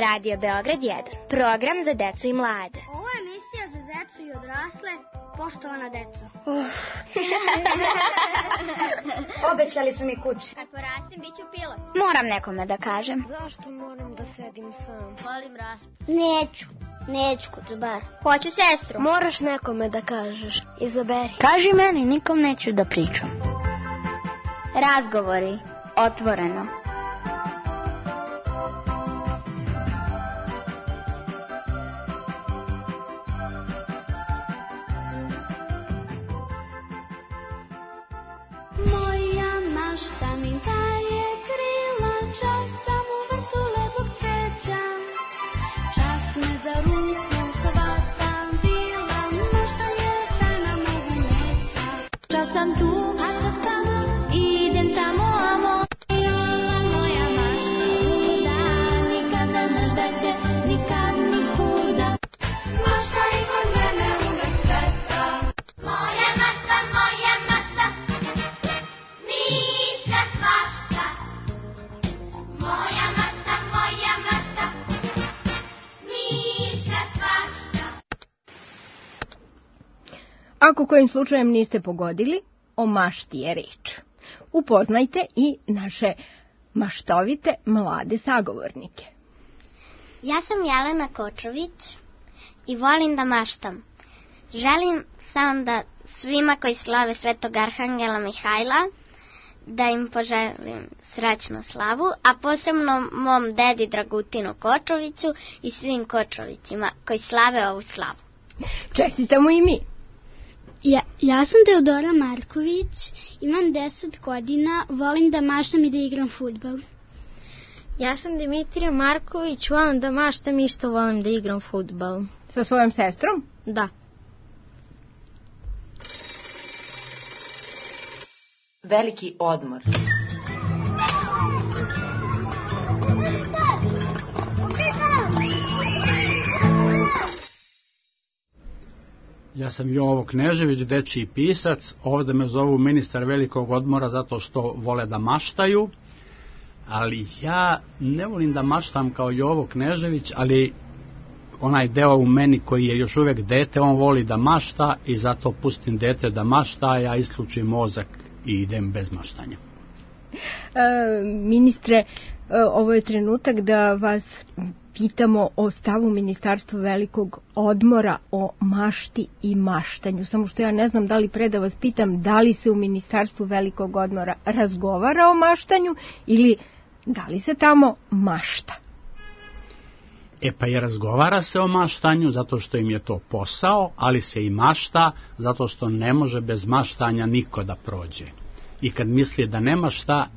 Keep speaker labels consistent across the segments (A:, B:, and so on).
A: Radio Beograd 1. Program za decu i mlade.
B: Ovo je emisija za decu i odrasle. Poštovana deco.
C: Obećali su mi kući.
B: Kad porastim, bit ću pilot.
A: Moram nekome da kažem.
D: Zašto moram da sedim sam?
B: Volim raspad.
C: Neću kucubar.
B: Hoću sestru.
D: Moraš nekome da kažeš. Izaberi.
A: Kaži meni, nikom neću da pričam. Razgovori. Otvoreno.
E: Ako kojim slučajem niste pogodili, o mašti je reč. Upoznajte i naše maštovite mlade sagovornike.
F: Ja sam Jelena Kočović i volim da maštam. Želim samo da svima koji slave Svetog Arhangela Mihajla, da im poželim srećnu slavu, a posebno mom dedi Dragutinu Kočoviću i svim Kočovićima koji slave ovu slavu.
E: Čestitamo i mi.
G: Ja sam Teodora Marković, imam 10 godina, volim da maštam i da igram fudbal.
H: Ja sam Dimitrija Marković, volim da maštam i isto volim da igram fudbal.
E: Sa svojom sestrom?
H: Da.
I: Veliki odmor.
J: Ja sam Jovo Knežević, dečiji pisac. Ovdje me zovu ministar velikog odmora zato što vole da maštaju. Ali ja ne volim da maštam kao Jovo Knežević, ali onaj deo u meni koji je još uvijek dete, on voli da mašta i zato pustim dete da mašta, ja isključim mozak i idem bez maštanja.
E: Ministre, ovo je trenutak da vas pitamo o stavu Ministarstva velikog odmora o mašti i maštanju. Samo što ja ne znam da li pre da vas pitam da li se u Ministarstvu velikog odmora razgovara o maštanju ili da li se tamo mašta.
J: Pa i razgovara se o maštanju zato što im je to posao, ali se i mašta zato što ne može bez maštanja niko da prođe. I kad misli da nema šta,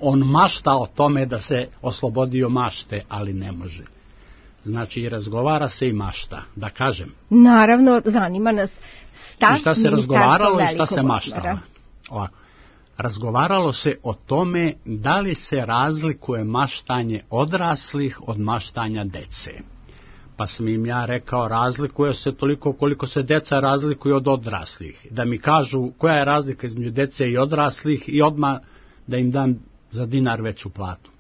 J: on mašta o tome da se oslobodio mašte, ali ne može. Znači i razgovara se i mašta, da kažem.
E: Naravno, zanima nas stav
J: i šta se razgovaralo i šta se
E: odmora.
J: maštalo. Ovako. Razgovaralo se o tome da li se razlikuje maštanje odraslih od maštanja dece. Pa sam im ja rekao, razlikuje se toliko koliko se deca razlikuju od odraslih. Da mi kažu koja je razlika između dece i odraslih i odmah da im dam za dinar veću platu.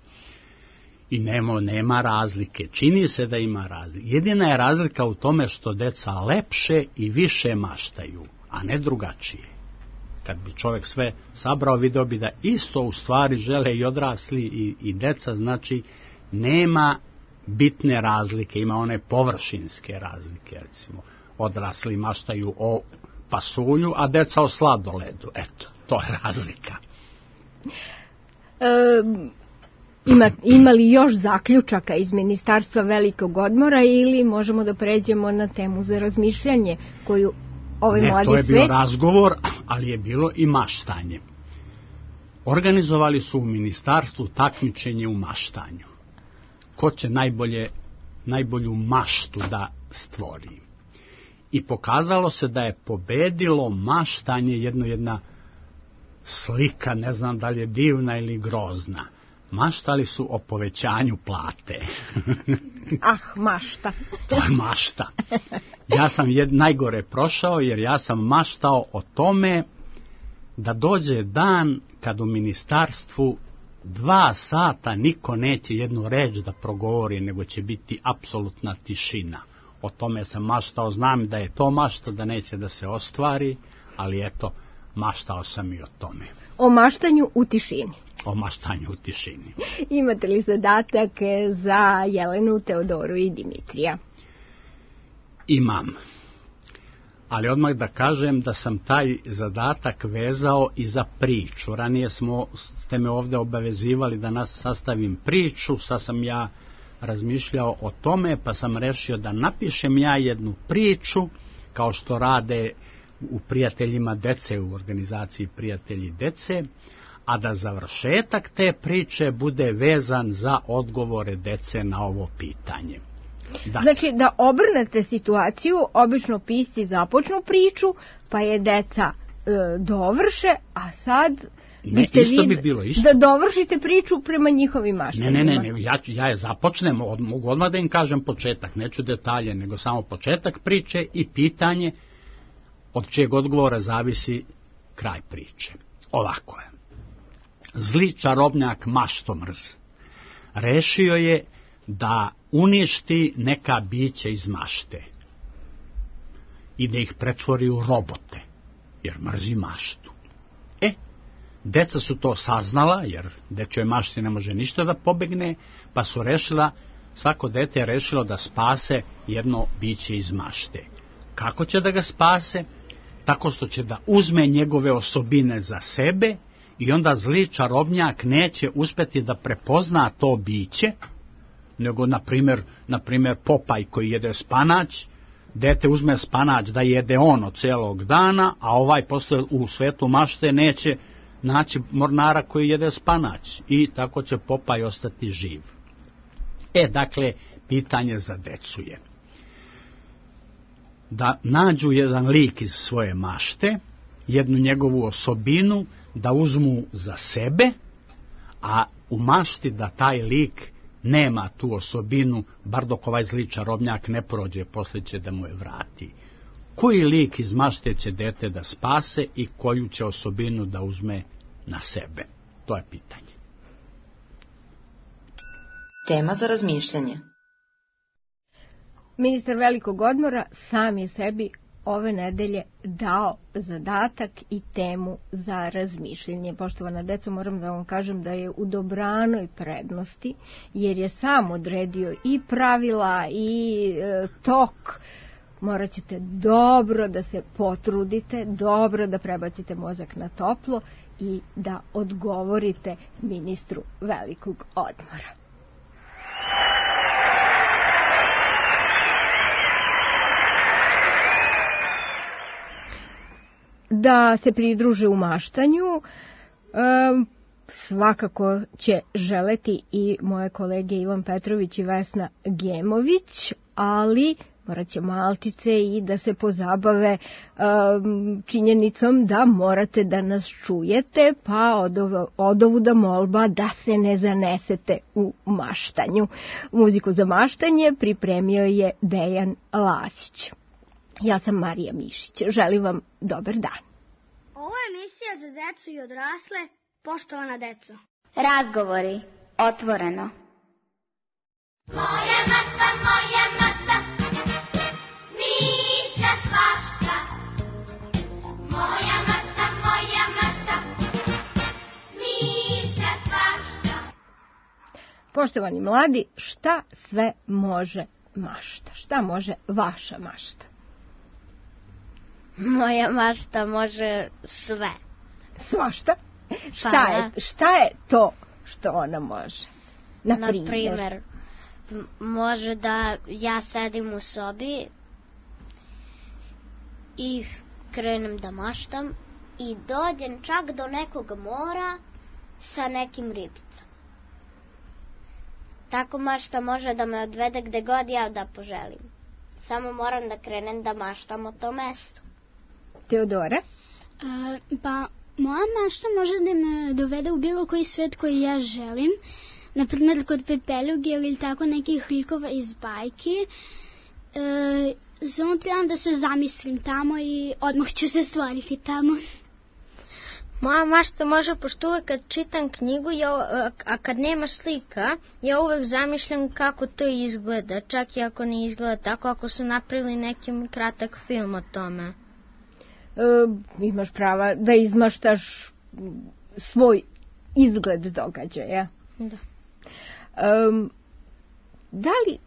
J: I nema razlike. Čini se da ima razlike. Jedina je razlika u tome što deca lepše i više maštaju, a ne drugačije. Kad bi čovjek sve sabrao, video bi da isto u stvari žele i odrasli i deca, znači nema bitne razlike, ima one površinske razlike, recimo odrasli maštaju o pasulju, a deca o sladoledu, eto, to je razlika.
E: Ima li još zaključaka iz Ministarstva velikog odmora ili možemo da pređemo na temu za razmišljanje koju ovaj mladi svet...
J: Ne, to je bio razgovor, ali je bilo i maštanje. Organizovali su u ministarstvu takmičenje u maštanju. Ko će najbolju maštu da stvori. I pokazalo se da je pobedilo maštanje jedna slika, ne znam da li je divna ili grozna. Maštali su o povećanju plate.
E: Mašta.
J: To je mašta. Ja sam najgore prošao jer ja sam maštao o tome da dođe dan kad u ministarstvu 2 sata niko neće jednu reč da progovori, nego će biti apsolutna tišina. O tome sam maštao, znam da je to mašta, da neće da se ostvari, ali eto, maštao sam i o tome.
E: O maštanju u tišini.
J: O maštanju u tišini.
E: Imate li zadatak za Jelenu, Teodoru i Dimitrija?
J: Imam. Ali odmah da kažem da sam taj zadatak vezao i za priču. Ranije ste me ovde obavezivali da nas sastavim priču, sad sam ja razmišljao o tome, pa sam rešio da napišem ja jednu priču, kao što rade u Prijateljima dece, u organizaciji Prijatelji dece, a da završetak te priče bude vezan za odgovore dece na ovo pitanje. Dakle,
E: znači da obrnete situaciju, obično pisci započnu priču, pa je deca dovrše, a sad biste da dovršite priču prema njihovim maštanjima.
J: Ne, ja je započnem, mogu odmah da im kažem početak, neću detalje, nego samo početak priče i pitanje od čijeg odgovora zavisi kraj priče. Ovako je. Zli čarobnjak Maštomrz rešio je da uništi neka biće iz mašte i da ih pretvori u robote, jer mrzi maštu. Deca su to saznala, jer dečjoj mašti ne može ništa da pobegne, pa su rešila, svako dete je rešilo da spase jedno biće iz mašte. Kako će da ga spase? Tako što će da uzme njegove osobine za sebe i onda zli čarobnjak neće uspeti da prepozna to biće, nego, na primjer, Popaj koji jede spanać, dete uzme spanać da jede ono celog dana, a ovaj posle u svetu mašte neće naći mornara koji jede spanać i tako će Popaj ostati živ. Dakle, pitanje za decu je da nađu jedan lik iz svoje mašte, jednu njegovu osobinu, da uzmu za sebe, a u mašti da taj lik nema tu osobinu, bar dok ovaj zli čarobnjak ne prođe, posle će da mu je vrati. Koji lik iz mašte će dete da spase i koju će osobinu da uzme na sebe? To je pitanje.
I: Tema za razmišljanje.
E: Ministar velikog odmora sam je sebi ove nedelje dao zadatak i temu za razmišljanje. Poštovana deco, moram da vam kažem da je u dobranoj prednosti, jer je sam odredio i pravila i tok. Morat ćete dobro da se potrudite, dobro da prebacite mozak na toplo i da odgovorite ministru velikog odmora. Da se pridruže u maštanju, svakako će želeti i moje kolege Ivan Petrović i Vesna Gemović, ali morat će malčice i da se pozabave činjenicom da morate da nas čujete, pa odovuda molba da se ne zanesete u maštanju. Muziku za maštanje pripremio je Dejan Lasić. Ja sam Marija Mišić. Želim vam dobar dan.
B: Ovo je emisija za decu i odrasle, poštovana deco.
A: Razgovori, otvoreno.
K: Moja mašta, smišlja svašta. Moja mašta, smišlja svašta.
E: Poštovani mladi, šta sve može mašta? Šta može vaša mašta?
F: Moja mašta može sve.
E: Svašta? Šta je to što ona može?
F: Naprimjer, može da ja sedim u sobi i krenem da maštam i dođem čak do nekog mora sa nekim ribicama. Tako mašta može da me odvede gde god ja da poželim. Samo moram da krenem da maštam o tom mestu.
E: Teodora?
G: Pa, moja mašta može da me dovede u bilo koji svet koji ja želim. Naprimjer, kod Pepeljuge ili tako nekih likova iz bajki. Samo trebam da se zamislim tamo i odmah ću se stvariti tamo.
H: Moja mašta može, pošto uvek kad čitam knjigu, a kad nema slika, ja uvek zamišljam kako to izgleda, čak i ako ne izgleda tako, ako su napravili neki kratak film o tome.
E: Imaš prava da izmaštaš svoj izgled događaja.
H: Da.
E: Da li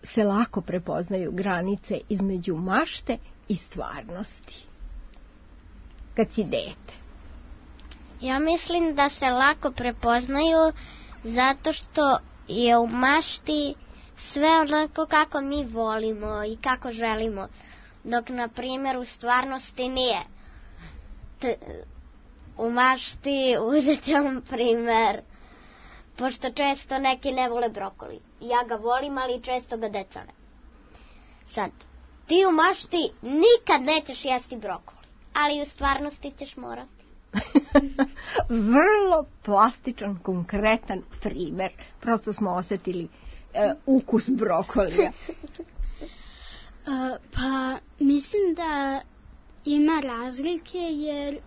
E: se lako prepoznaju granice između mašte i stvarnosti kad si dete?
F: Ja mislim da se lako prepoznaju zato što je u mašti sve onako kako mi volimo i kako želimo, dok na primjer u stvarnosti nije. U mašti uzet primjer, pošto često neki ne vole brokoli. Ja ga volim, ali često ga deca ne. Sad, ti u mašti nikad nećeš jesti brokoli, ali u stvarnosti ćeš morati.
E: Vrlo plastičan, konkretan primer. Prosto smo osjetili ukus brokolija.
G: Pa mislim da ima razlike jer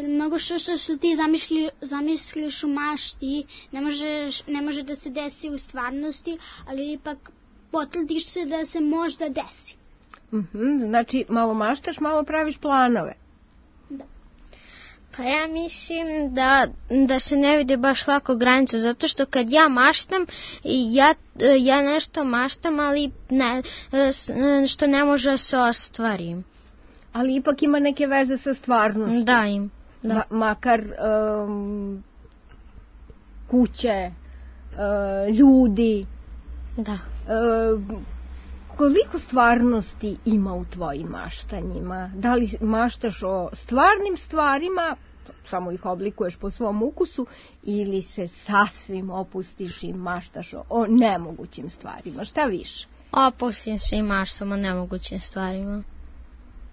G: mnogo što ti zamisliš u mašti ne može da se desi u stvarnosti, ali ipak potrudiš se da se možda desi.
E: Znači malo maštaš, malo praviš planove.
G: Da.
H: Pa ja mislim da se ne vidi baš lako granica, zato što kad ja maštam, ja nešto maštam, ali što ne može da se ostvari.
E: Ali ipak ima neke veze sa stvarnošću.
H: Da, im. Da.
E: Makar kuće, ljudi.
H: Da.
E: Koliko stvarnosti ima u tvojim maštanjima? Da li maštaš o stvarnim stvarima, samo ih oblikuješ po svom ukusu, ili se sasvim opustiš i maštaš o nemogućim stvarima? Šta više?
H: Opustim se i maštam o nemogućim stvarima.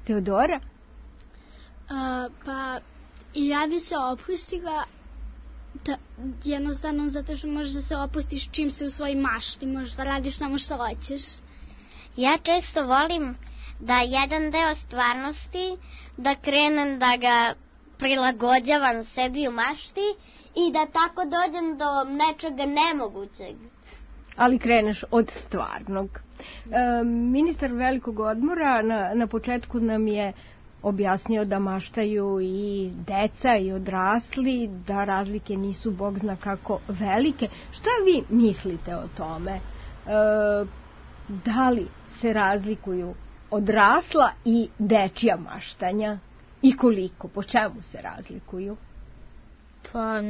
E: Teodora?
G: Pa ja bi se opustila jednostavno zato što možeš da se opustiš čim se u svojoj mašti, možeš da radiš samo što hoćeš.
F: Ja često volim da jedan deo stvarnosti, da krenem da ga prilagođavam sebi u mašti i da tako dođem do nečega nemogućeg.
E: Ali kreneš od stvarnog. Ministar velikog odmora na početku nam je objasnio da maštaju i deca i odrasli, da razlike nisu bog zna kako velike. Šta vi mislite o tome? Da li se razlikuju odrasla i dečija maštanja? I koliko? Po čemu se razlikuju?
H: Pa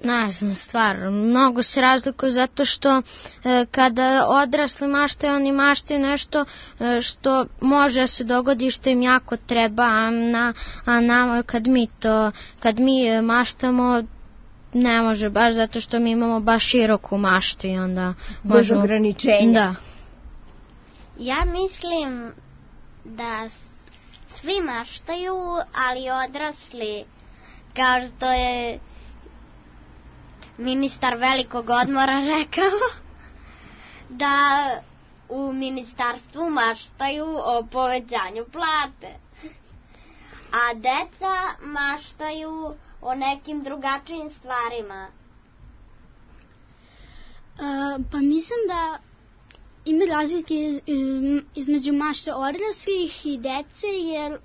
H: ne znam, stvarno, mnogo se razlikuju zato što kada odrasli maštaju, oni maštaju nešto što može da se dogodi, što im jako treba, a nama kad mi maštamo, ne može baš zato što mi imamo baš široku maštu i onda
E: bez ograničenja.
H: Da.
F: Ja mislim da svi maštaju, ali odrasli, kao što je ministar velikog odmora rekao, da u ministarstvu maštaju o povećanju plate, a deca maštaju o nekim drugačijim stvarima.
G: Pa mislim da ima razlike između mašte odraslih i dece, jer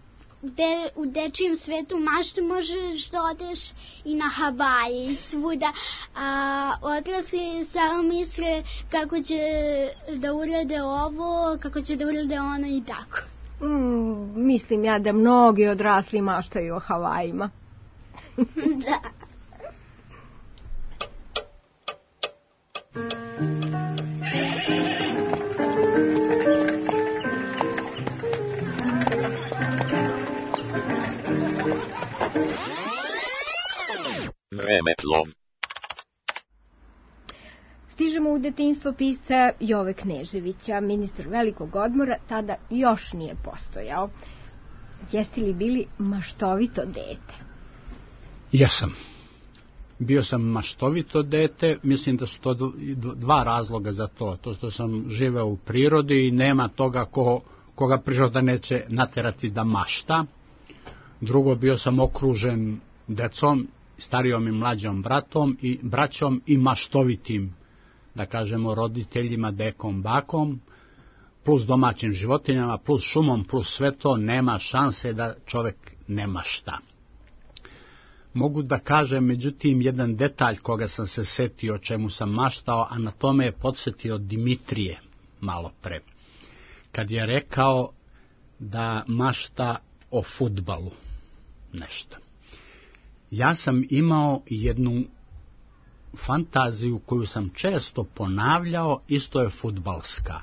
G: u dečijem svetu mašte možeš da odeš i na Havaje i svuda, a odrasli samo misle kako će da urade ovo, kako će da urade ono i tako.
E: Mislim ja da mnogi odrasli maštaju o Havajima.
F: Da.
L: Vremeplov.
E: Stižemo u detinjstvo pisca Jove Kneževića. Ministar velikog odmora tada još nije postojao. Jeste li bili maštovito dete?
J: Jesam. Bio sam maštovito dete, mislim da su to dva razloga za to. To što sam živeo u prirodi i nema toga koga priroda neće naterati da mašta. Drugo, bio sam okružen decom, starijom i mlađom braćom i maštovitim, da kažemo, roditeljima, dekom, bakom, plus domaćim životinjama, plus šumom, plus sve to, nema šanse da čovek ne mašta. Mogu da kažem, međutim, jedan detalj koga sam se setio, o čemu sam maštao, a na tome je podsjetio Dimitrije malo pre, kad je rekao da mašta o fudbalu nešto. Ja sam imao jednu fantaziju koju sam često ponavljao, isto je fudbalska.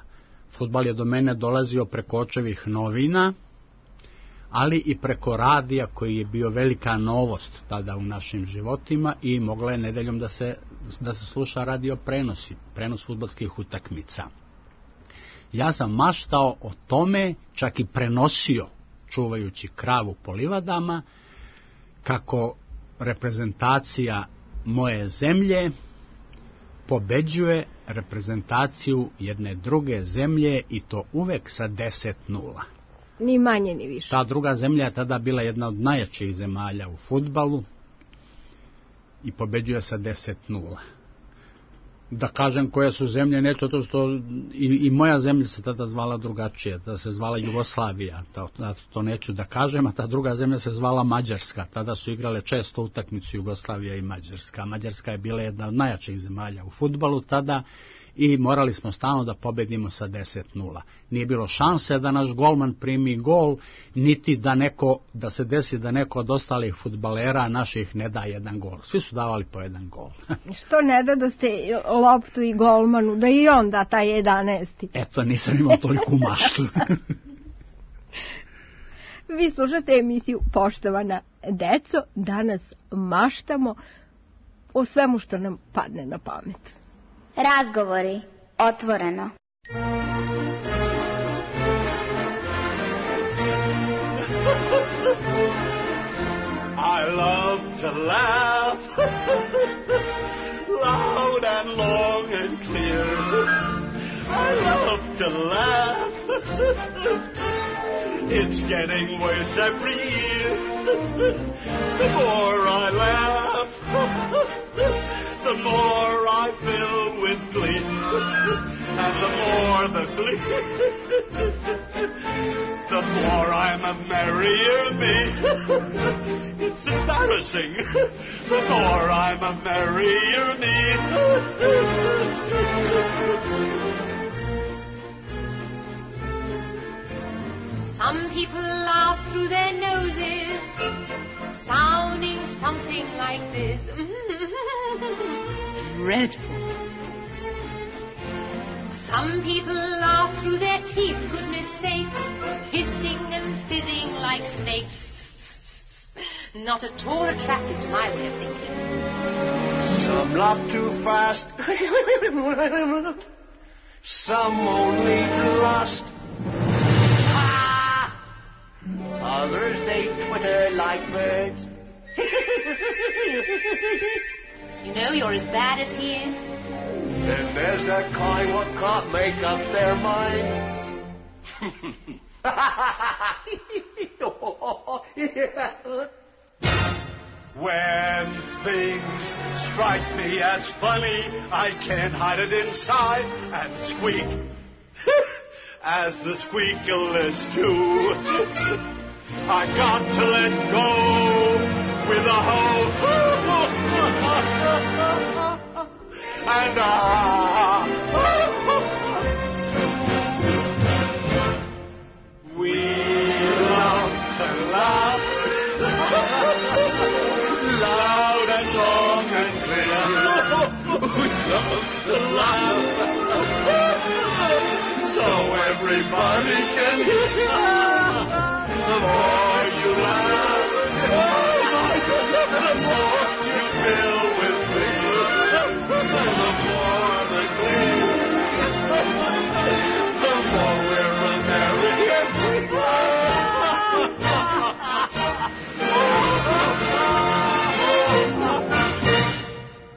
J: Fudbal je do mene dolazio preko očevih novina, ali i preko radija koji je bio velika novost tada u našim životima i mogla je nedeljom da se sluša radio prenos fudbalskih utakmica. Ja sam maštao o tome, čak i prenosio, čuvajući kravu po livadama, kako reprezentacija moje zemlje pobeđuje reprezentaciju jedne druge zemlje i to uvek sa 10-0.
E: Ni manje ni više.
J: Ta druga zemlja je tada bila jedna od najjačih zemalja u fudbalu i pobeđuje sa 10-0. Da kažem koje su zemlje, neću to što i moja zemlja se tada zvala drugačije, tada se zvala Jugoslavija, to neću da kažem, a ta druga zemlja se zvala Mađarska, tada su igrale često utakmicu Jugoslavija i Mađarska. Mađarska je bila jedna od najjačih zemalja u fudbalu tada i morali smo stalno da pobedimo sa 10-0. Nije bilo šanse da naš golman primi gol, niti da se desi da neko od ostalih fudbalera naših ne da jedan gol. Svi su davali po jedan gol.
E: Što ne da ste loptu i golmanu, da i on da taj 11.
J: Eto, nisam imao toliku maštu.
E: Vi slušate emisiju Poštovana deco, danas maštamo o svemu što nam padne na pamet.
A: Razgovori otvoreno.
L: I love to laugh loud and long and clear. I love to laugh. It's getting worse every year. The more I laugh, the more I fill with glee, and the more the glee, the more I'm a merrier me. It's embarrassing, the more I'm a merrier me.
M: Some people laugh through their noses, sounding something like this. Dreadful. Some people laugh through their teeth, goodness sakes, hissing and fizzing like snakes. Not at all attractive to my way of thinking.
L: Some laugh too fast, some only lust. Others they twitter like birds.
M: You know you're as bad as he is.
L: Then there's that kind what can't make up their mind. When things strike me as funny, I can't hide it inside and squeak as the squeakalists do. I got to let go with a hoe. And we love to laugh loud and long and clear. We love to laugh so everybody can hear. The more you laugh, the more you fill with glee. The more the glee, the more we're a merry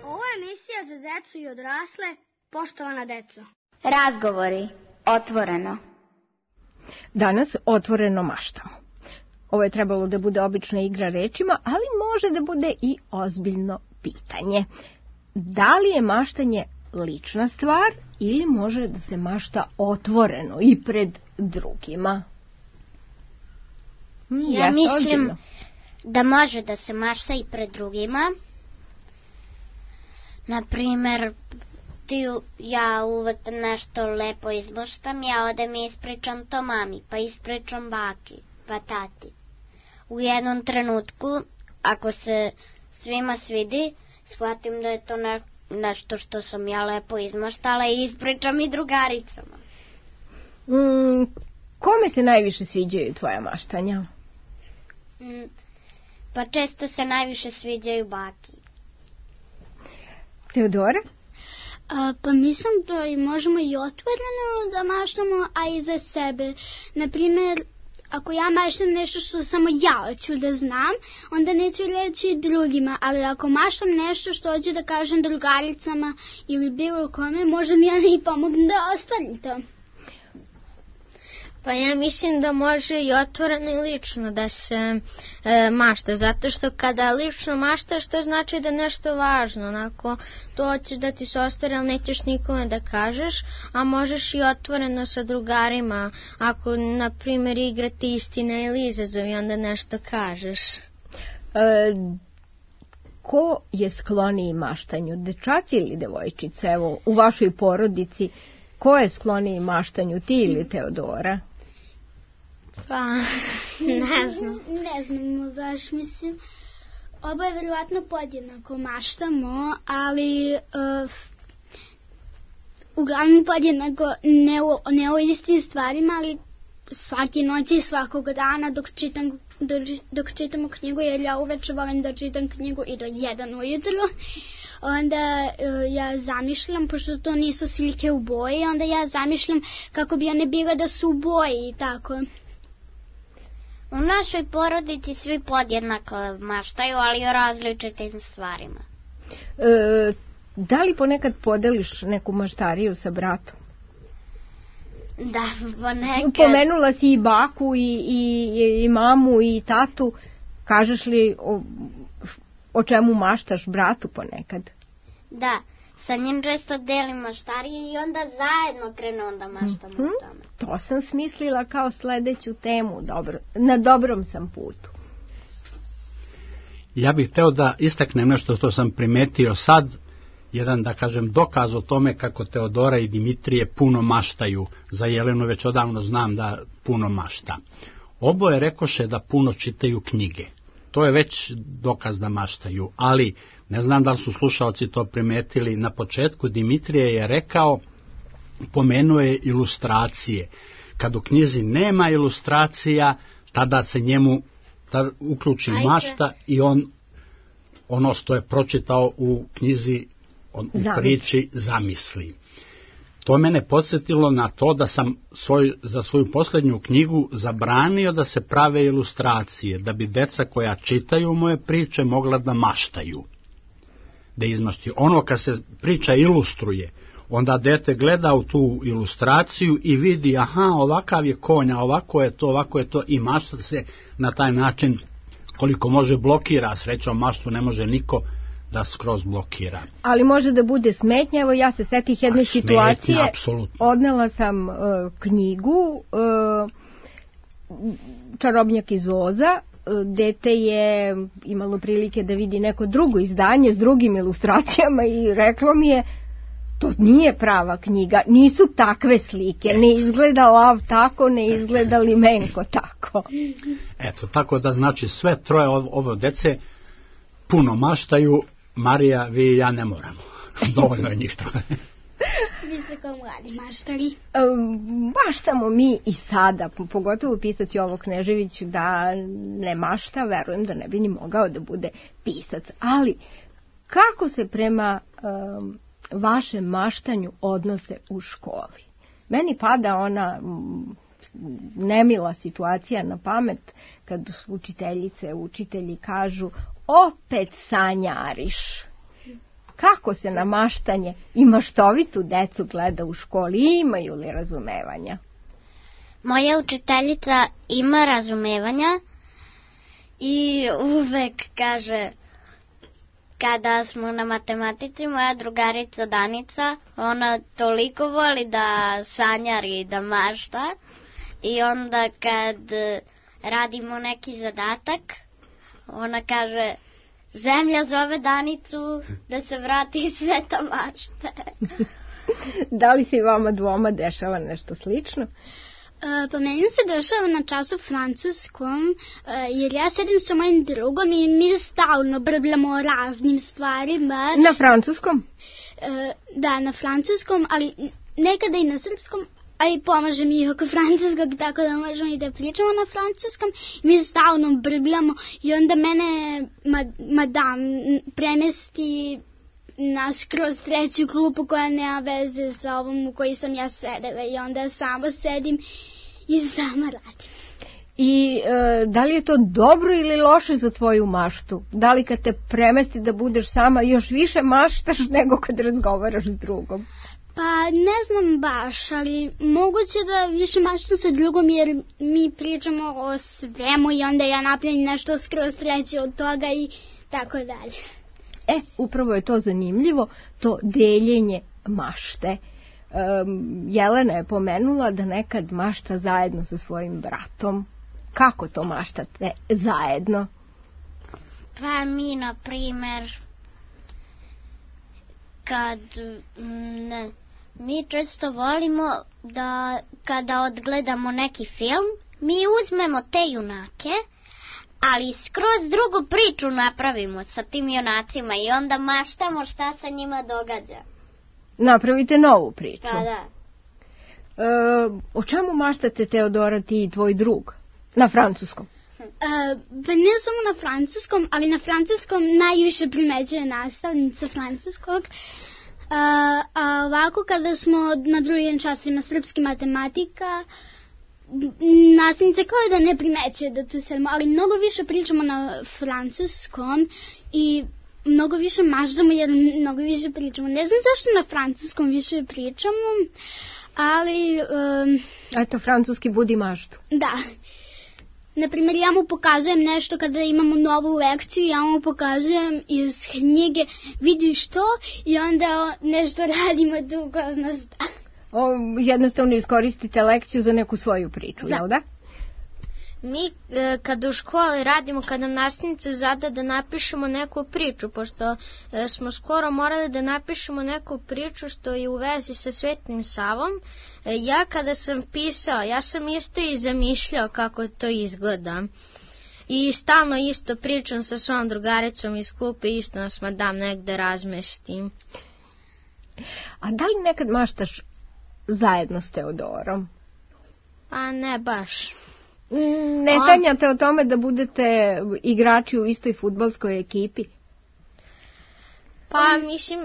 B: Ovo je emisija za decu i odrasle, poštovana deco.
A: Razgovori otvoreno.
E: Danas otvoreno maštamo. Ovo je trebalo da bude obična igra rečima, ali može da bude i ozbiljno pitanje. Da li je maštanje lična stvar ili može da se mašta otvoreno i pred drugima?
F: Ja mislim da može da se mašta i pred drugima. Naprimer, ja uvek nešto lepo izmaštam, ja odem i ispričam to mami, pa ispričam baki, pa tati. U jednom trenutku, ako se svima svidi, shvatim da je to nešto što sam ja lepo izmaštala i ispričam i drugaricama.
E: Kome se najviše sviđaju tvoja maštanja?
F: Pa često se najviše sviđaju baki.
E: Teodora?
G: Pa mislim da možemo i otvoreno da maštamo, a i za sebe. Naprimjer, ako ja maštam nešto što samo ja hoću da znam, onda neću reći drugima, ali ako maštam nešto što hoću da kažem drugaricama ili bilo kome, možda mi ja i pomognem da ostvari to.
H: Pa ja mislim da može i otvoreno i lično da se mašta, zato što kada lično maštaš, to znači da nešto važno, onako, to hoćeš da ti se ostvari, ali nećeš nikome da kažeš, a možeš i otvoreno sa drugarima, ako, na primjer, igrati istina ili izazov i onda nešto kažeš.
E: Ko je skloniji maštanju, dečaci ili devojčice? Evo, u vašoj porodici, ko je skloniji maštanju, ti ili Teodora?
H: Pa, ne znam.
G: Ne znam, baš mislim. Oboje verovatno podjednako maštamo, ali uglavnom podjednako ne o istim stvarima, ali svake noći i svakog dana dok čitamo knjigu, jer ja uveče volim da čitam knjigu i do 1 ujutro. Onda ja zamišljam, pošto to nisu slike u boji, onda ja zamišljam kako bi one bile da su u boji i tako.
F: U našoj porodici svi podjednako maštaju, ali o različitim stvarima.
E: Da li ponekad podeliš neku maštariju sa bratom?
F: Da, ponekad.
E: Pomenula si i baku i mamu i tatu. Kažeš li o čemu maštaš bratu ponekad?
F: Da, sa njim često delim maštarije i onda zajedno krenu da maštamo o tome.
E: To sam smislila kao sledeću temu. Dobro, na dobrom sam putu.
J: Ja bih hteo da istaknem nešto što sam primetio sad, jedan, da kažem, dokaz o tome kako Teodora i Dimitrije puno maštaju. Za Jelenu već odavno znam da puno mašta. Oboje rekoše da puno čitaju knjige. To je već dokaz da maštaju, ali ne znam da li su slušaoci to primetili. Na početku Dimitrije je rekao, pomenuo je ilustracije. Kad u knjizi nema ilustracija, tada se njemu uključi mašta i on ono što je pročitao u knjizi, u priči, zamisli. To mene podsjetilo na to da sam za svoju posljednju knjigu zabranio da se prave ilustracije, da bi deca koja čitaju moje priče mogla da maštaju, da izmašti. Ono kad se priča ilustruje, onda dete gleda u tu ilustraciju i vidi, aha, ovakav je konja, ovako je to i mašta se na taj način koliko može blokira. Srećom maštu ne može niko da skroz blokira.
E: Ali može da bude smetnja. Evo ja se setih jedne situacije.
J: Apsolutno.
E: Odnela sam knjigu Čarobnjak iz Oza. Dete je imalo prilike da vidi neko drugo izdanje s drugim ilustracijama i reklo mi je, to nije prava knjiga, nisu takve slike, ne izgleda lav tako, ne izgleda limenko tako.
J: Eto, tako da znači sve troje ovo dece puno maštaju. Marija, vi i ja ne moramo. Dovoljno je njih troje.
G: Vi ste kao mladi maštari.
E: Maštamo mi i sada, pogotovo pisac Jovo Knežević da ne mašta, verujem da ne bi ni mogao da bude pisac. Ali kako se prema vašem maštanju odnose u školi? Meni pada ona nemila situacija na pamet kad učiteljice, učitelji kažu opet sanjariš. Kako se na maštanje i maštovitu decu gleda u školi? Imaju li razumevanja?
F: Moja učiteljica ima razumevanja i uvek kaže, kada smo na matematici, moja drugarica Danica, ona toliko voli da sanjari i da mašta i onda kad radimo neki zadatak, ona kaže, zemlja zove Danicu da se vrati iz sveta mašte.
E: Da li se i vama dvoma dešava nešto slično?
G: Pa meni se dešava na času francuskom, jer ja sedim sa mojim drugom i mi stalno brbljamo o raznim stvarima.
E: Na francuskom?
G: Da, na francuskom, ali nekada i na srpskom, a i pomaže mi oko francuskog, tako da možemo i da pričamo na francuskom. Mi stalno brbljamo i onda mene madam premesti na skroz treću klupu koja nema veze sa ovom u kojoj sam ja sedela i onda samo sedim i sama radim.
E: I da li je to dobro ili loše za tvoju maštu? Da li kad te premesti da budeš sama još više maštaš nego kad razgovaraš s drugom?
G: Pa ne znam baš, ali moguće da više maštam sa drugom jer mi pričamo o svemu i onda ja napravim nešto skroz treće od toga i tako dalje.
E: Upravo je to zanimljivo, to deljenje mašte. Jelena je pomenula da nekad mašta zajedno sa svojim bratom. Kako to maštate zajedno?
F: Pa mi, na primer, mi često volimo da kada odgledamo neki film, mi uzmemo te junake, ali skroz drugu priču napravimo sa tim junacima i onda maštamo šta se njima događa.
E: Napravite novu priču.
F: Pa da.
E: O čemu maštate, Teodora, ti i tvoj drug? Na francuskom?
G: Pa ne samo na francuskom, ali na francuskom najviše primećuje nastavnica francuskog. A ovako kada smo na drugim časima srpski matematika, nastavnica kao da ne primećuje da tu sedimo, ali mnogo više pričamo na francuskom i mnogo više maštamo jer mnogo više pričamo. Ne znam zašto na francuskom više pričamo, ali...
E: Eto, francuski budi maštu.
G: Da. Naprimjer, ja mu pokazujem nešto kada imamo novu lekciju, ja mu pokazujem iz knjige, vidiš to, i onda nešto radimo tu ko zna šta.
E: Jednostavno iskoristite lekciju za neku svoju priču, jel da?
H: Mi kada u školi radimo, kada nam nastavnica zada da napišemo neku priču, pošto smo skoro morali da napišemo neku priču što je u vezi sa Svetim Savom, ja kada sam pisao, ja sam isto i zamišljao kako to izgleda. I stalno isto pričam sa svojom drugaricom iz klupe, isto nas madam negde razmestim.
E: A da li nekad maštaš zajedno s Teodorom?
H: Pa ne baš.
E: Ne sanjate o tome da budete igrači u istoj fudbalskoj ekipi?
H: Pa mislim,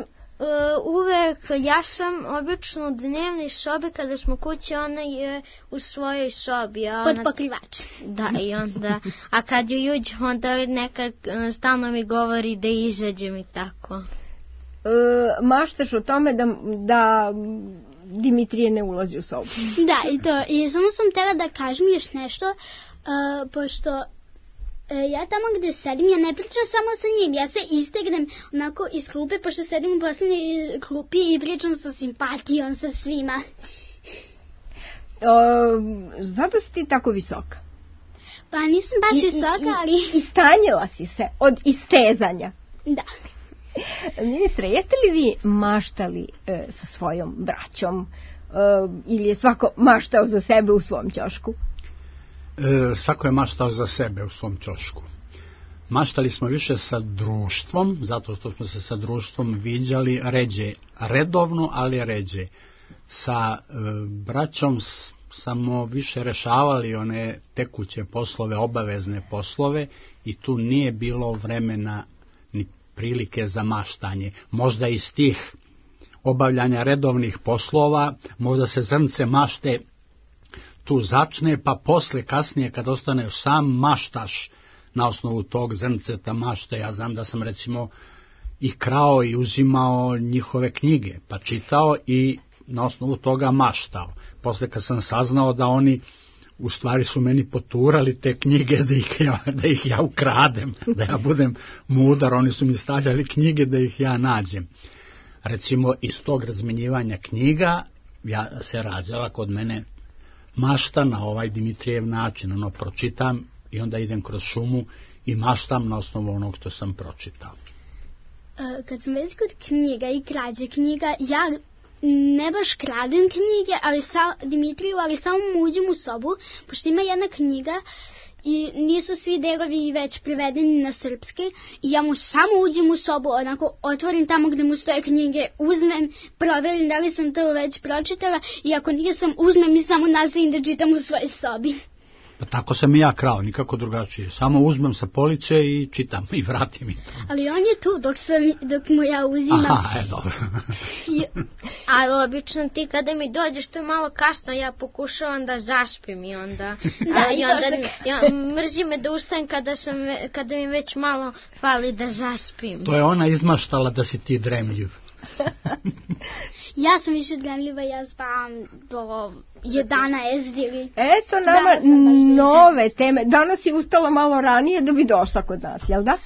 H: uvek ja sam obično u dnevnoj sobi, kada smo kući, ona je u svojoj sobi.
G: Pod pokrivač.
H: Da, i onda, a kad ju uđe, onda nekad stalno mi govori da izađem i tako.
E: Maštaš o tome da Dimitrije ne ulazi u sobu.
G: Da, i to. I samo sam htjela da kažem još nešto, pošto ja tamo gde sedim, ja ne pričam samo sa njim, ja se istegnem onako iz klupe, pošto sedim u poslednjoj klupi i pričam sa simpatijom sa svima.
E: Zato si ti tako visoka?
G: Pa nisam baš visoka, ali...
E: Istanjila si se od istezanja.
G: Da.
E: Ministre, jeste li vi maštali sa svojom braćom ili je svako maštao za sebe u svom ćošku?
J: Svako je maštao za sebe u svom ćošku. Maštali smo više sa društvom, zato što smo se sa društvom viđali ređe, redovno, ali ređe. Sa braćom samo više rešavali one tekuće poslove, obavezne poslove i tu nije bilo vremena ni prilike za maštanje. Možda iz tih obavljanja redovnih poslova, možda se zrnce mašte tu začne, pa posle, kasnije, kad ostaneš sam, maštaš na osnovu tog zrnceta mašte. Ja znam da sam recimo i krao i uzimao njihove knjige, pa čitao i na osnovu toga maštao. Posle kad sam saznao da oni u stvari su meni poturali te knjige da ih ja ukradem, da ja budem mudar, oni su mi stavljali knjige da ih ja nađem. Recimo, iz tog razmenjivanja knjiga se rađala kod mene mašta na ovaj Dimitrijev način, pročitam i onda idem kroz šumu i maštam na osnovu onog što sam pročitao.
G: Kad sam već kod knjiga i krađe knjiga, ja ne baš kradem knjige, Dimitriju, ali samo uđem u sobu, pošto ima jedna knjiga i nisu svi delovi već prevedeni na srpski i ja mu samo uđem u sobu, onako otvorim tamo gde mu stoje knjige, uzmem, proverim da li sam to već pročitala i ako nisam, uzmem i samo nastavim da čitam u svojoj sobi.
J: Pa tako sam i ja krao, nikako drugačije. Samo uzmem sa police i čitam i vratim i to.
G: Ali on je tu dok mu ja uzimam.
J: Aha, dobro.
H: Ali obično ti kada mi dođeš, to je malo kasno, ja pokušavam da zaspim i onda... mrzi me da ustajem kada mi već malo fali da zaspim.
J: To je ona izmaštala da si ti dremljiv.
G: Ja sam više dremljiva, ja spavam do 11 ili...
E: Eto nama nove teme. Danas si ustala malo ranije da bi došla kod nas, jel da?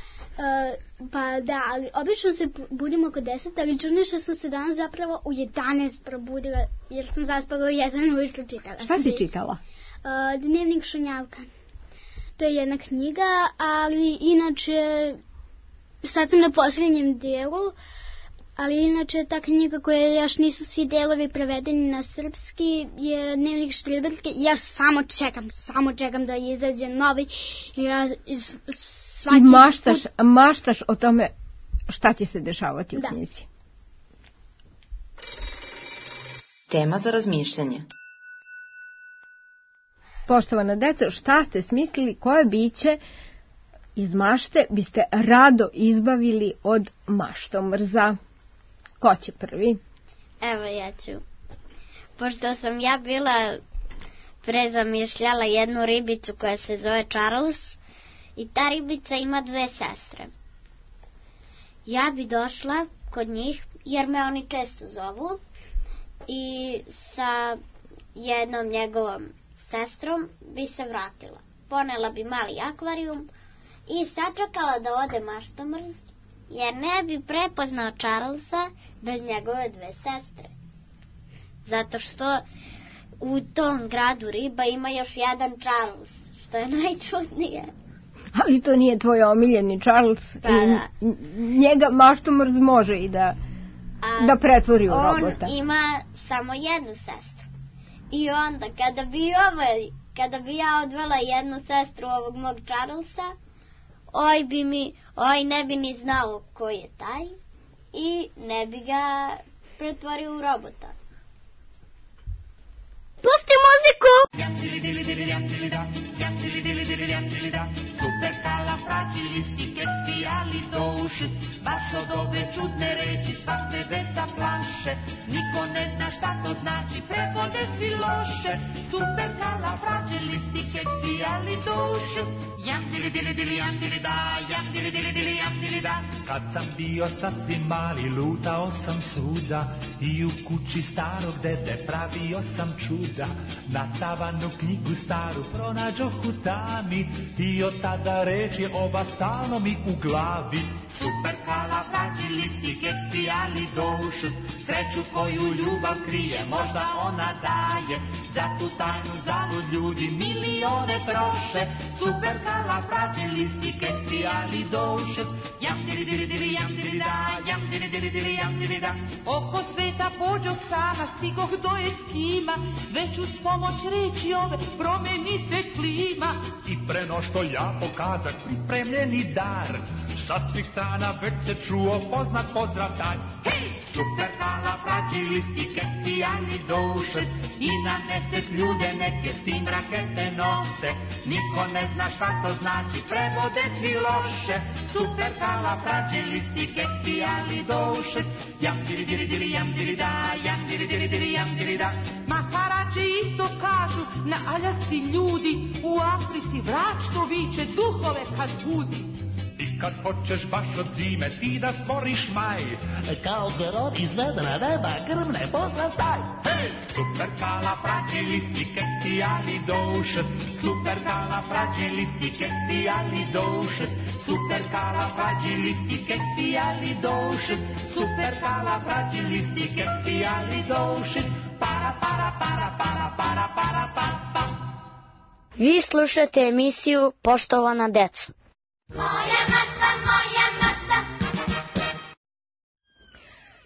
G: Pa da, ali obično se budimo oko 10, ali čudno što sam se danas zapravo u 11 probudila, jer sam zaspala u 1 ujutru čitala.
E: Šta si čitala?
G: Dnevnik Šunjavka. To je jedna knjiga, ali inače, sad sam na posljednjem delu, ali inače ta knjiga koja još nisu svi delovi prevedeni na srpski je Dnevnik Štreberke. Ja samo čekam da izađe novi.
E: I maštaš o tome šta će se dešavati u knjizi.
I: Tema za razmišljanje.
E: Poštovana deco, šta ste smislili, koje biće iz mašte biste rado izbavili od maštomrza? Ko će prvi?
F: Evo ja ću. Pošto sam ja bila prezamišljala jednu ribicu koja se zove Charles i ta ribica ima 2 sestre. Ja bi došla kod njih jer me oni često zovu i sa jednom njegovom sestrom bi se vratila. Ponela bi mali akvarijum i sačekala da ode maštomrz, jer ne bi prepoznao Charlesa bez njegove 2 sestre. Zato što u tom gradu riba ima još jedan Charles, što je najčudnije.
E: Ali to nije tvoj omiljeni Charles.
F: Pa da.
E: Njega maštomrz može i da pretvori u robota.
F: On ima samo jednu sestru. I onda kada bi ja odvela jednu sestru ovog mog Charlesa, oj ne bi ni znao ko je taj i ne bi ga pretvorio u robota.
B: Pusti muziku!
K: Superkalifragilistikexpialidocious, baš od ove čudne reči sva se deca plaše. Niko ne zna šta to znači, prevode svi loše. Superkalifragilistikexpialidocious, jam dili dili dili jam dili da, jam dili dili dili jam dili da.
N: Kad sam bio sasvim mali, lutao sam svuda i u kući starog dede pravio sam čuda. Na tavanu knjigu staru pronađoh u tami i od tada reči oba stalno mi u glavi.
K: Superkalifragilistikexpialidocious, sreću koju ljubav krije, možda ona daje. Za tu tajnu zalud ljudi milione troše. Superkalifragilistikexpialidocious, jam dili dili dili jam dili da, jam dili dili dili jam dili da.
O: Oko sveta pođoh sama, stigoh do Eskima, već uz pomoć reči ove promeni se klima.
N: I pre no što ja pokazak pripremljeni dar, sa svih strana već se čuo poznat pozdrav taj.
K: Hej! Superkalifragilistikexpialidocious, i na mesec ljude neke s tim rakete nose. Niko ne zna šta to znači, prevode svi loše. Superkalifragilistikexpialidocious, jam dili dili dili jam dili da, jam dili dili dili jam dili da.
O: Maharače isto kažu, na Aljasci ljudi, u Africi vrač to viče, duhove kad budi.
N: I kad hoćeš baš od zime ti da stvoriš maj.
K: Kao grom iz vedra neba grmne poslastaj.
N: Hej!
K: Supercalifragilisticexpialidocious, supercalifragilisticexpialidocious, supercalifragilisticexpialidocious, supercalifragilisticexpialidocious, para para para para para para pa pa.
C: Vi slušate emisiju Poštovana deco.
A: Moja mašta, moja mašta.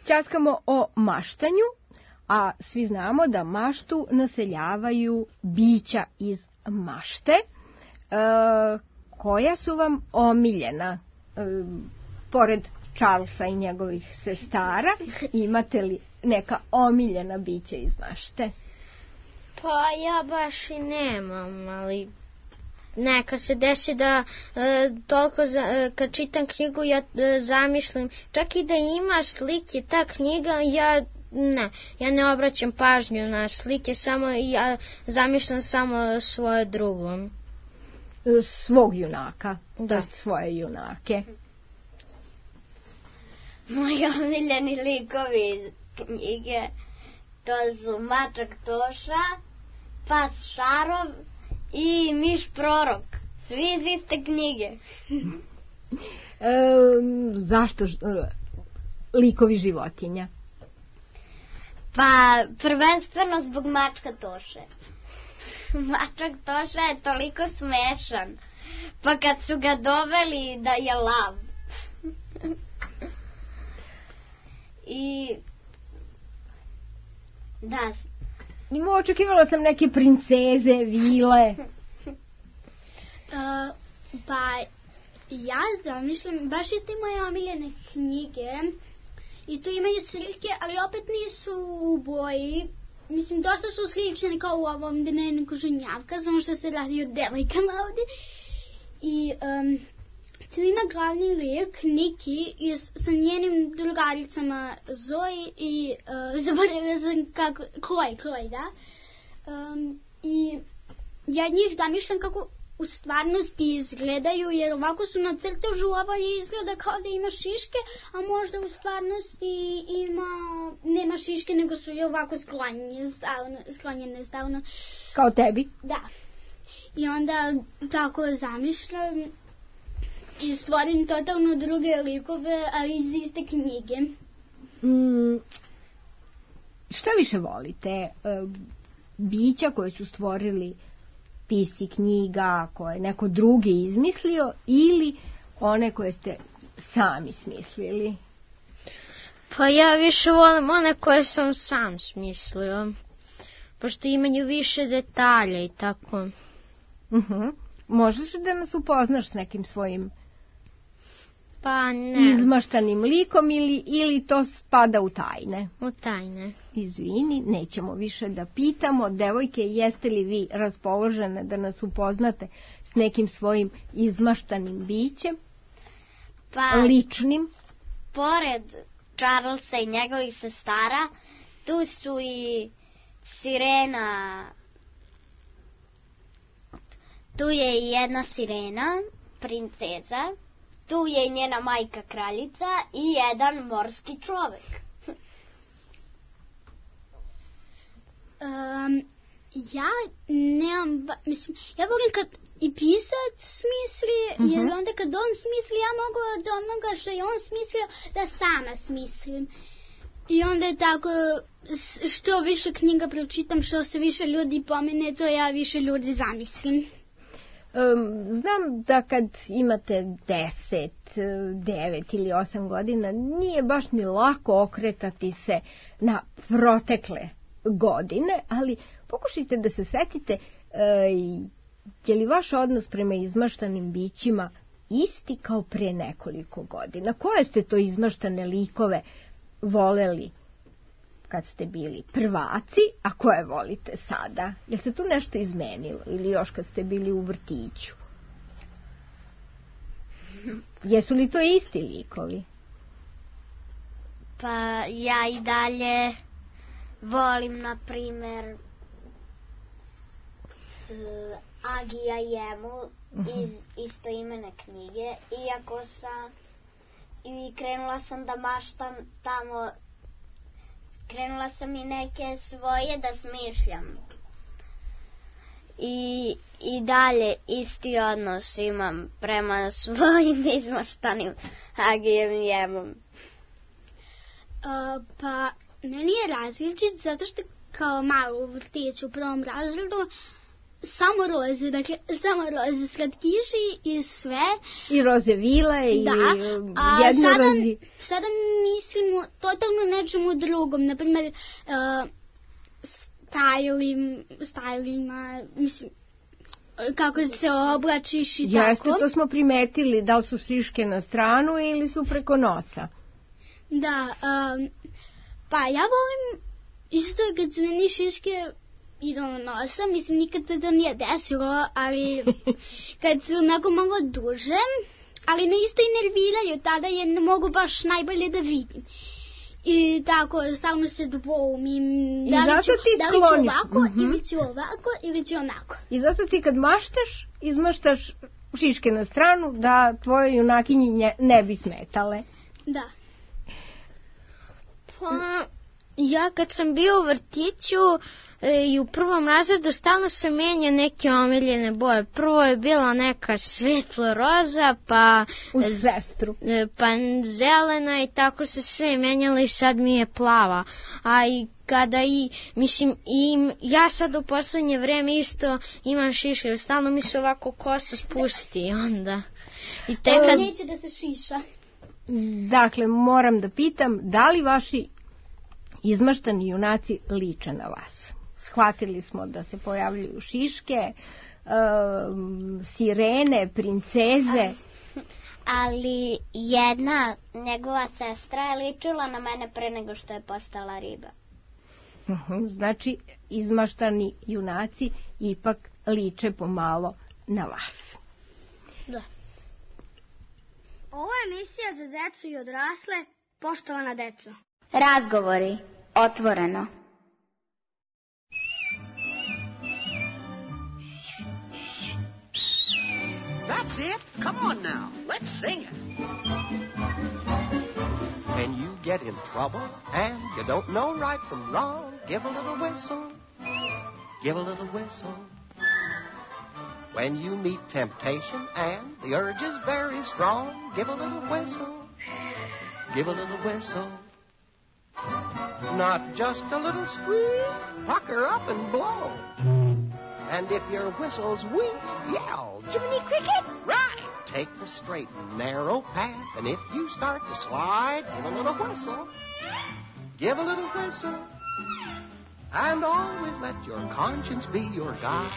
E: Ćaskamo o maštanju, a svi znamo da maštu naseljavaju bića iz mašte. Koja su vam omiljena? Pored Charlesa i njegovih sestara, imate li neka omiljena bića iz mašte?
H: Pa ja baš i nemam, ali neka se desi da toliko kad čitam knjigu ja zamišljam, čak i da ima slike ta knjiga, ja ne obraćam pažnju na slike, samo ja zamišljam samo svoje drugo.
E: Svog junaka, da. Svoje junake.
F: Moji omiljeni likovi iz knjige, to su Mačak Toša, Pas Šarov i Miš Prorok. Svi iz iste knjige.
E: Zašto likovi životinja?
F: Pa prvenstveno zbog Mačka Toše. Mačak Toša je toliko smešan. Pa kad su ga doveli da je lav. I da.
E: Očekivala sam neke princeze, vile.
G: Pa ja zamišljam, baš iste moje omiljene knjige. I tu imaju slike, ali opet nisu u boji. Mislim, dosta su slične kao u ovom Dnevniku Žunjavka, samo što se radi o devojkama ovdje. I tu ima glavni lik, Niki, sa njenim drugaricama Zoe i zaboravila sam kako, Chloe, da. I ja njih zamišljam kako u stvarnosti izgledaju, jer ovako su na crtežu, ovo izgleda kao da ima šiške, a možda u stvarnosti nema šiške, nego su i ovako sklonjene stavno.
E: Kao tebi?
G: Da. I onda tako zamišljam i stvorim totalno druge likove, ali iz iste knjige.
E: Šta više volite? Bića koje su stvorili pisci knjiga, koje je neko drugi izmislio, ili one koje ste sami smislili?
H: Pa ja više volim one koje sam sam smislio, pošto imaju više detalja i tako.
E: Možeš da nas upoznaš s nekim svojim
H: pa ne
E: izmaštanim likom ili to spada u tajne?
H: U tajne.
E: Izvini, nećemo više da pitamo. Devojke, jeste li vi raspoložene da nas upoznate s nekim svojim izmaštanim bićem?
F: Pa,
E: ličnim?
F: Pored Charlesa i njegovih sestara, tu su i sirena. Tu je i jedna sirena, princeza. Tu je i njena majka kraljica i jedan morski čovek.
G: Ja nemam, mislim, ja volim kad i pisac smisli, jer onda kad on smisli, ja mogu od onoga što je on smislio da sama smislim. I onda je tako, što više knjiga pročitam, što se više ljudi pomene, to ja više ljudi zamislim.
E: Znam da kad imate 10, 9 ili 8 godina nije baš ni lako okretati se na protekle godine, ali pokušajte da se setite je li vaš odnos prema izmaštanim bićima isti kao pre nekoliko godina. Koje ste to izmaštane likove voleli kad ste bili prvaci, a koje volite sada? Je se tu nešto izmenilo ili još kad ste bili u vrtiću? Jesu li to isti likovi?
F: Pa ja i dalje volim, na primer, Agija Jemu iz istoimene knjige, i krenula sam da maštam tamo, krenula sam i neke svoje da smišljam. I dalje isti odnos imam prema svojim izmaštanim Agijem Jemom.
G: Pa, meni je različit zato što kao malo u vrtiću u prvom razredu samo roze, dakle samo roze, slatkiši i sve. I roze vile i jednorozi. Sada mislim totalno nečemu drugom, na primjer stajlima, mislim, kako se oblačiš i tako.
E: Jeste, to smo primetili, da li su šiške na stranu ili su preko nosa.
G: Da, pa ja volim isto kad su meni šiške idu na nosa, mislim nikad se to nije desilo, ali kad su onako malo duže, ali me isto i nerviraju, tada je ne mogu baš najbolje da vidim. I tako, stalno se dvoumim, da li ću ovako, ili ću ovako, ili ću onako.
E: I zato ti kad maštaš, izmaštaš šiške na stranu, da tvoje junakinje ne bi smetale.
G: Da.
H: Pa, ja kad sam bio u vrtiću i u prvom razredu stalno se menja neke omiljene boje. Prvo je bila neka svetlo roza, pa pa zelena i tako se sve menjalo i sad mi je plava. A i kada ja sad u poslednje vreme isto imam šiške, stalno mi se ovako kosa spusti onda. I
G: neće da se šiša.
E: Dakle, moram da pitam, da li vaši izmaštani junaci liče na vas? Shvatili smo da se pojavljuju šiške, sirene, princeze.
F: Ali jedna njegova sestra je ličila na mene pre nego što je postala riba.
E: Znači, izmaštani junaci ipak liče pomalo na vas.
B: Da. Ovo je emisija za decu i odrasle, poštovana deco.
C: Razgovori, otvoreno.
P: That's it. Come on now. Let's sing it.
Q: When you get in trouble and you don't know right from wrong, give a little whistle. Give a little whistle. When you meet temptation and the urge is very strong, give a little whistle. Give a little whistle. Not just a little squeak, pucker up and blow. And if your whistle's weak, yell, Jiminy Cricket! Right! Take the straight and narrow path, and if you start to slide, give a little whistle. Give a little whistle. And always let your conscience be your guide.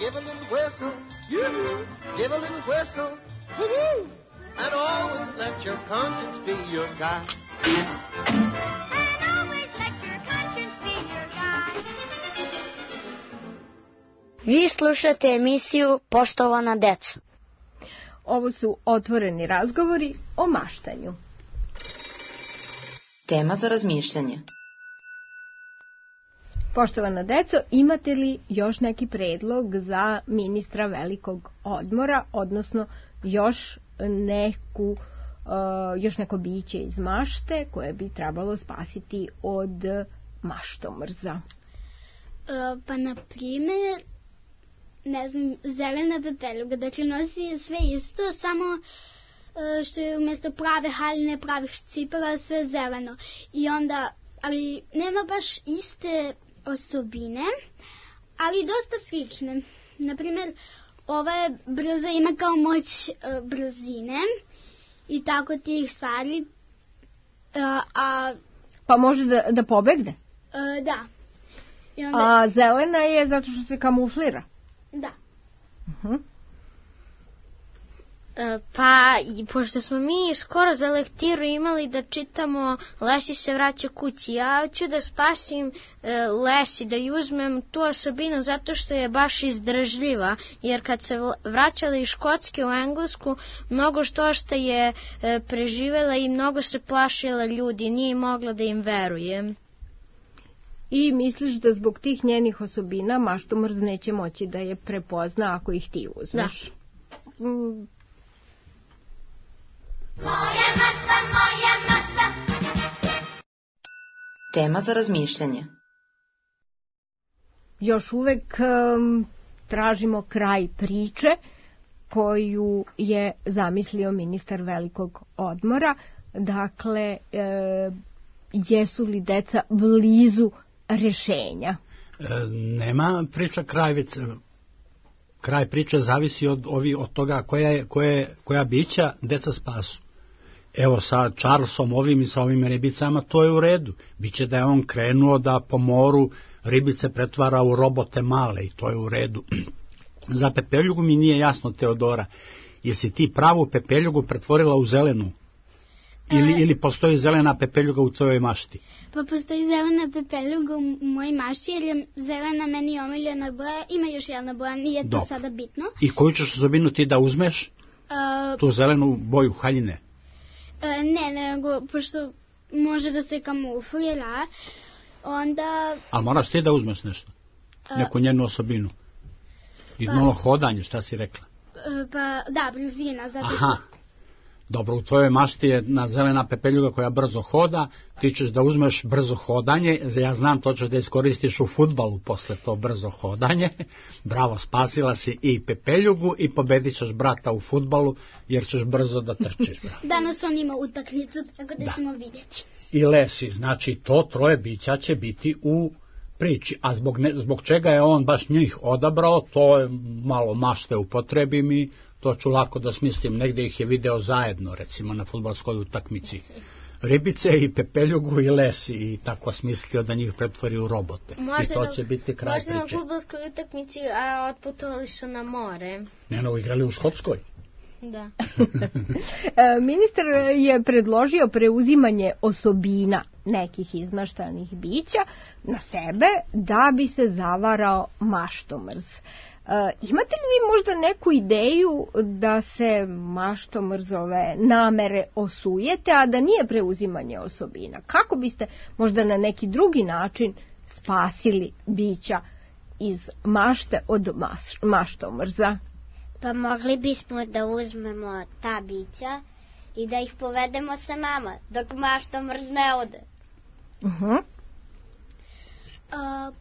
Q: Give a little whistle, yoo-hoo. Give a little whistle, woo-hoo. And always let your conscience be your guide.
A: And always let your conscience be your guide.
C: Vi slušate emisiju Poštovana deco.
E: Ovo su otvoreni razgovori o maštanju.
I: Tema za razmišljanje.
E: Poštovana deco, imate li još neki predlog za ministra velikog odmora, odnosno još neko biće iz mašte koje bi trebalo spasiti od maštomrza?
G: Pa, na primjer, ne znam, zelena pepeljuga, dakle nosi sve isto, samo što je umjesto prave haljine, pravih cipela, sve zeleno. I onda, ali nema baš iste osobine, ali dosta slične. Naprimjer, ova je brza, ima kao moć brzine i tako tih stvari.
E: Pa može da pobegne?
G: Da. I onda...
E: A zelena je zato što se kamuflira?
G: Da.
H: Pa, pošto smo mi skoro za lektiru imali da čitamo Lesi se vraća kući, ja hoću da spasim Lesi, da ju uzmem tu osobinu zato što je baš izdržljiva, jer kad se vraćala iz Škotske u Englesku, mnogo što je preživela i mnogo se plašila ljudi, nije mogla da im veruje.
E: I misliš da zbog tih njenih osobina maštomrz neće moći da je prepozna ako ih ti uzmeš? Da.
A: Moja mašta.
I: Tema za razmišljanje.
E: Još uvek tražimo kraj priče koju je zamislio ministar velikog odmora. Dakle, jesu li deca blizu rešenja?
J: Nema priča krajvice. Kraj priče zavisi od toga koja bića deca spasu. Evo sa Charlesom ovim i sa ovim ribicama to je u redu. Biće da je on krenuo da po moru ribice pretvara u robote male i to je u redu. Za pepeljugu mi nije jasno, Teodora, jesi ti pravu pepeljugu pretvorila u zelenu? Ili postoji zelena pepeljuga u tvojoj mašti?
G: Pa postoji zelena pepeljuga u mojoj mašti, jer je zelena meni omiljena boja. Ima još jedna boja, nije to sada bitno.
J: I koju ćeš osobinu ti da uzmeš? Tu zelenu boju haljine?
G: Ne, nego, pošto može da se kamuflira, onda...
J: Ali moraš ti da uzmeš nešto? Neku njenu osobinu? I malo hodanje, šta si rekla?
G: Pa, da, brzina, zato što...
J: Aha. Dobro, u tvojoj mašti je na zelena pepeljuga koja brzo hoda, ti ćeš da uzmeš brzo hodanje, ja znam to ćeš da iskoristiš u fudbalu posle to brzo hodanje, bravo, spasila si i pepeljugu i pobedit ćeš brata u fudbalu jer ćeš brzo da trčiš. Bravo.
G: Danas on ima utakmicu, tako da ćemo vidjeti.
J: I Lesi, znači to troje bića će biti u priči, a zbog čega je on baš njih odabrao, to je malo mašte upotrebim i to ću lako da smislim, negde ih je video zajedno, recimo na fudbalskoj utakmici. Ribice i pepeljugu i Lesi i tako smislio da njih pretvori u robote. I to će biti kraj priče.
H: Možda na fudbalskoj utakmici, a otputovali su na more.
J: Ne, igrali u Škotskoj.
H: Da.
E: Ministar je predložio preuzimanje osobina nekih izmaštanih bića na sebe da bi se zavarao maštomrz. Imate li vi možda neku ideju da se maštomrzove namere osujete, a da nije preuzimanje osobina? Kako biste možda na neki drugi način spasili bića iz mašte od maštomrza?
F: Pa mogli bismo da uzmemo ta bića i da ih povedemo sa nama, dok maštomrz ne ode.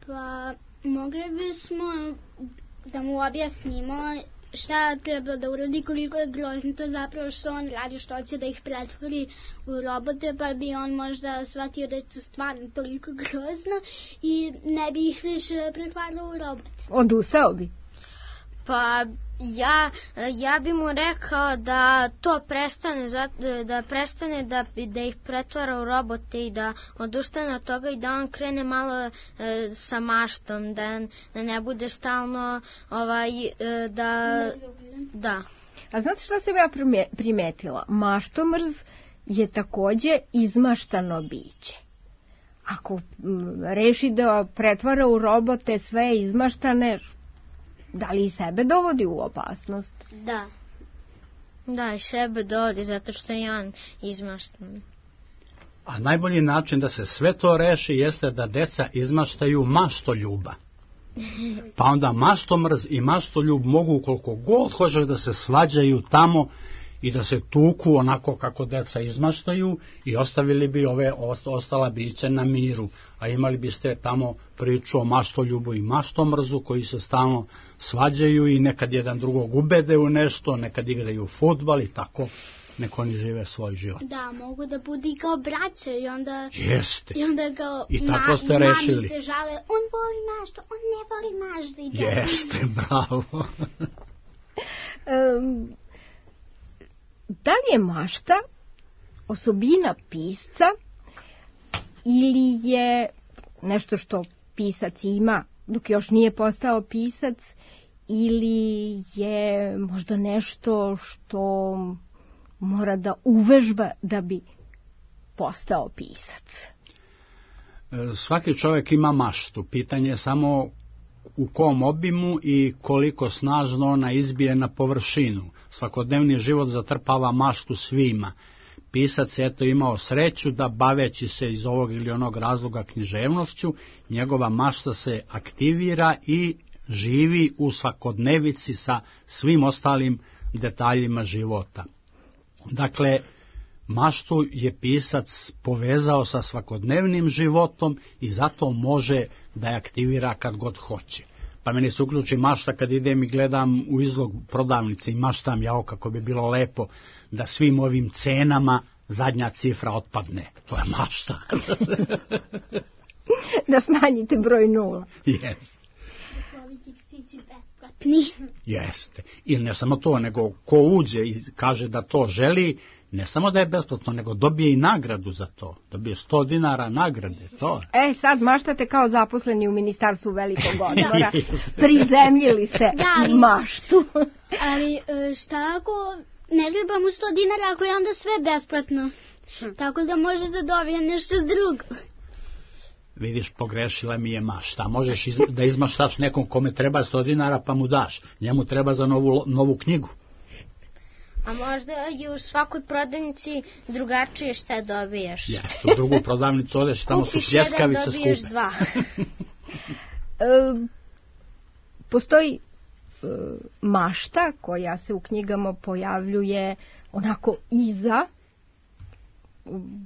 G: Pa mogli bismo da mu objasnimo šta treba da uradi, koliko je grozno to zapravo što on radi, što će da ih pretvori u robote, pa bi on možda shvatio da je to stvarno toliko grozno i ne bi ih više pretvarao u robote.
E: Odustao bi?
H: Pa ja bi mu rekao da to prestane da ih pretvara u robote i da odustane od toga i da on krene malo sa maštom, da ne bude stalno da.
E: A znate šta sam ja primetila? Maštomrz je takođe izmaštano biće. Ako reši da pretvara u robote sve izmaštane, da li i sebe dovodi u opasnost?
H: Da. Da, i sebe dovodi, zato što je on izmaštan.
J: A najbolji način da se sve to reši jeste da deca izmaštaju maštoljuba. Pa onda maštomrz i maštoljub mogu koliko god hoće da se svađaju tamo i da se tuku onako kako deca izmaštaju i ostavili bi ostala bića na miru, a imali biste tamo priču o maštoljubu i maštomrzu koji se stalno svađaju i nekad jedan drugog ubede u nešto, nekad igraju fudbal i tako neko oni žive svoj život.
G: Da, mogu da budu i kao braća i onda...
J: Jeste.
G: I onda kao
J: i tako ste rešili.
G: Mami se žale, on voli mašto, on ne voli mašti.
J: Jeste, bravo.
E: Da li je mašta osobina pisca ili je nešto što pisac ima dok još nije postao pisac, ili je možda nešto što mora da uvežba da bi postao pisac?
J: Svaki čovjek ima maštu. Pitanje je samo u kom obimu i koliko snažno ona izbije na površinu. Svakodnevni život zatrpava maštu svima. Pisac je eto imao sreću da, baveći se iz ovog ili onog razloga književnošću, njegova mašta se aktivira i živi u svakodnevici sa svim ostalim detaljima života. Dakle, maštu je pisac povezao sa svakodnevnim životom i zato može da je aktivira kad god hoće. Pa meni se uključi mašta kad idem i gledam u izlog prodavnice i maštam jao kako bi bilo lepo da svim ovim cenama zadnja cifra otpadne. To je mašta.
E: Da smanjite broj nula.
J: Jeste.
G: Da su ovi keksići besplatni.
J: Jeste. I ne samo to, nego ko uđe i kaže da to želi, ne samo da je besplatno, nego dobije i nagradu za to. Dobije 100 dinara nagrade. To.
E: Sad maštate kao zaposleni u Ministarstvu velikog odmora. Prizemljili ste maštu.
G: Ali šta ako ne trebamo 100 dinara ako je onda sve besplatno? Tako da može da dobije nešto drugo.
J: Vidiš, pogrešila mi je mašta. Možeš da izmaštaš nekom kome treba 100 dinara pa mu daš. Njemu treba za novu knjigu.
H: A možda i u svakoj prodavnici drugačije šta dobiješ.
J: Jeste, u drugu prodavnicu odeš, tamo su pljeskavice skupe.
H: Kupiš jedan, dobiješ
E: 2. Postoji mašta koja se u knjigama pojavljuje onako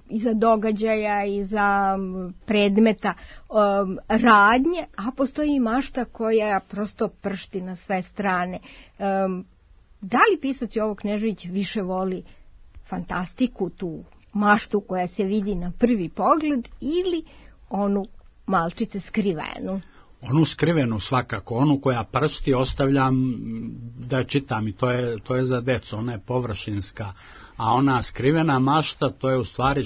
E: iza događaja, iza predmeta radnje, a postoji i mašta koja prosto pršti na sve strane. Da li pisac Jovo Knežević više voli fantastiku, tu maštu koja se vidi na prvi pogled, ili onu malčice skrivenu?
J: Onu skrivenu svakako, onu koja pršti ostavljam da je čitam i to je za decu, ona je površinska, a ona skrivena mašta, to je u stvari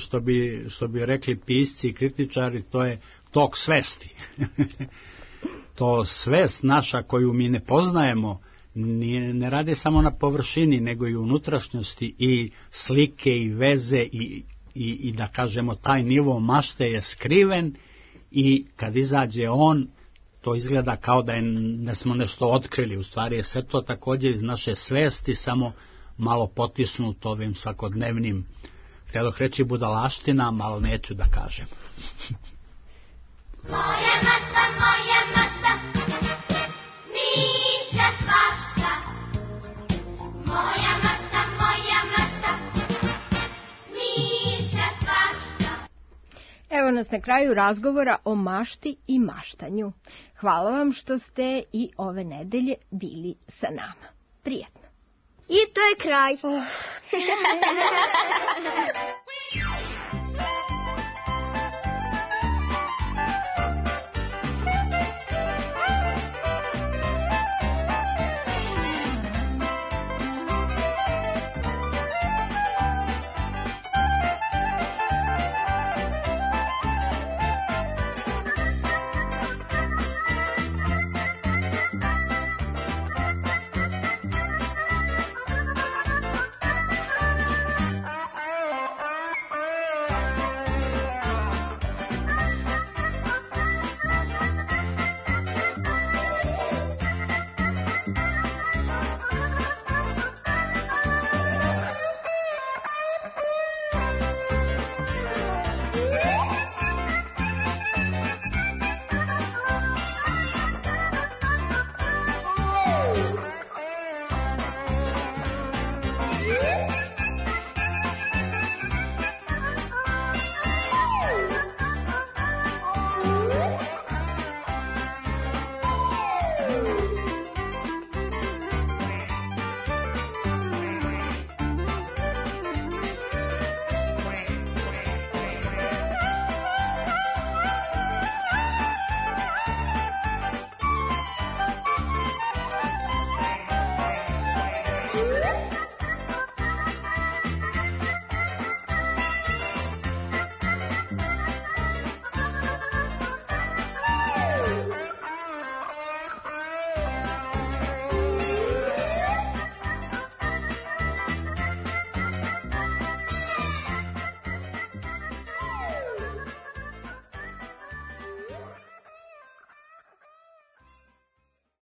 J: što bi rekli pisci i kritičari, to je tok svesti. To svest naša koju mi ne poznajemo ne radi samo na površini, nego i unutrašnjosti i slike i veze i da kažemo taj nivo mašte je skriven i kad izađe on, to izgleda kao da smo nešto otkrili, u stvari je sve to također iz naše svesti, samo malo potisnut ovim svakodnevnim, htjeloh reći budalaštinama, ali neću da kažem.
A: Moja mašta, smišlja svašta. Moja mašta, smišlja svašta.
E: Evo nas na kraju razgovora o mašti i maštanju. Hvala vam što ste i ove nedelje bili sa nama. Prijetno.
B: I to je kraj.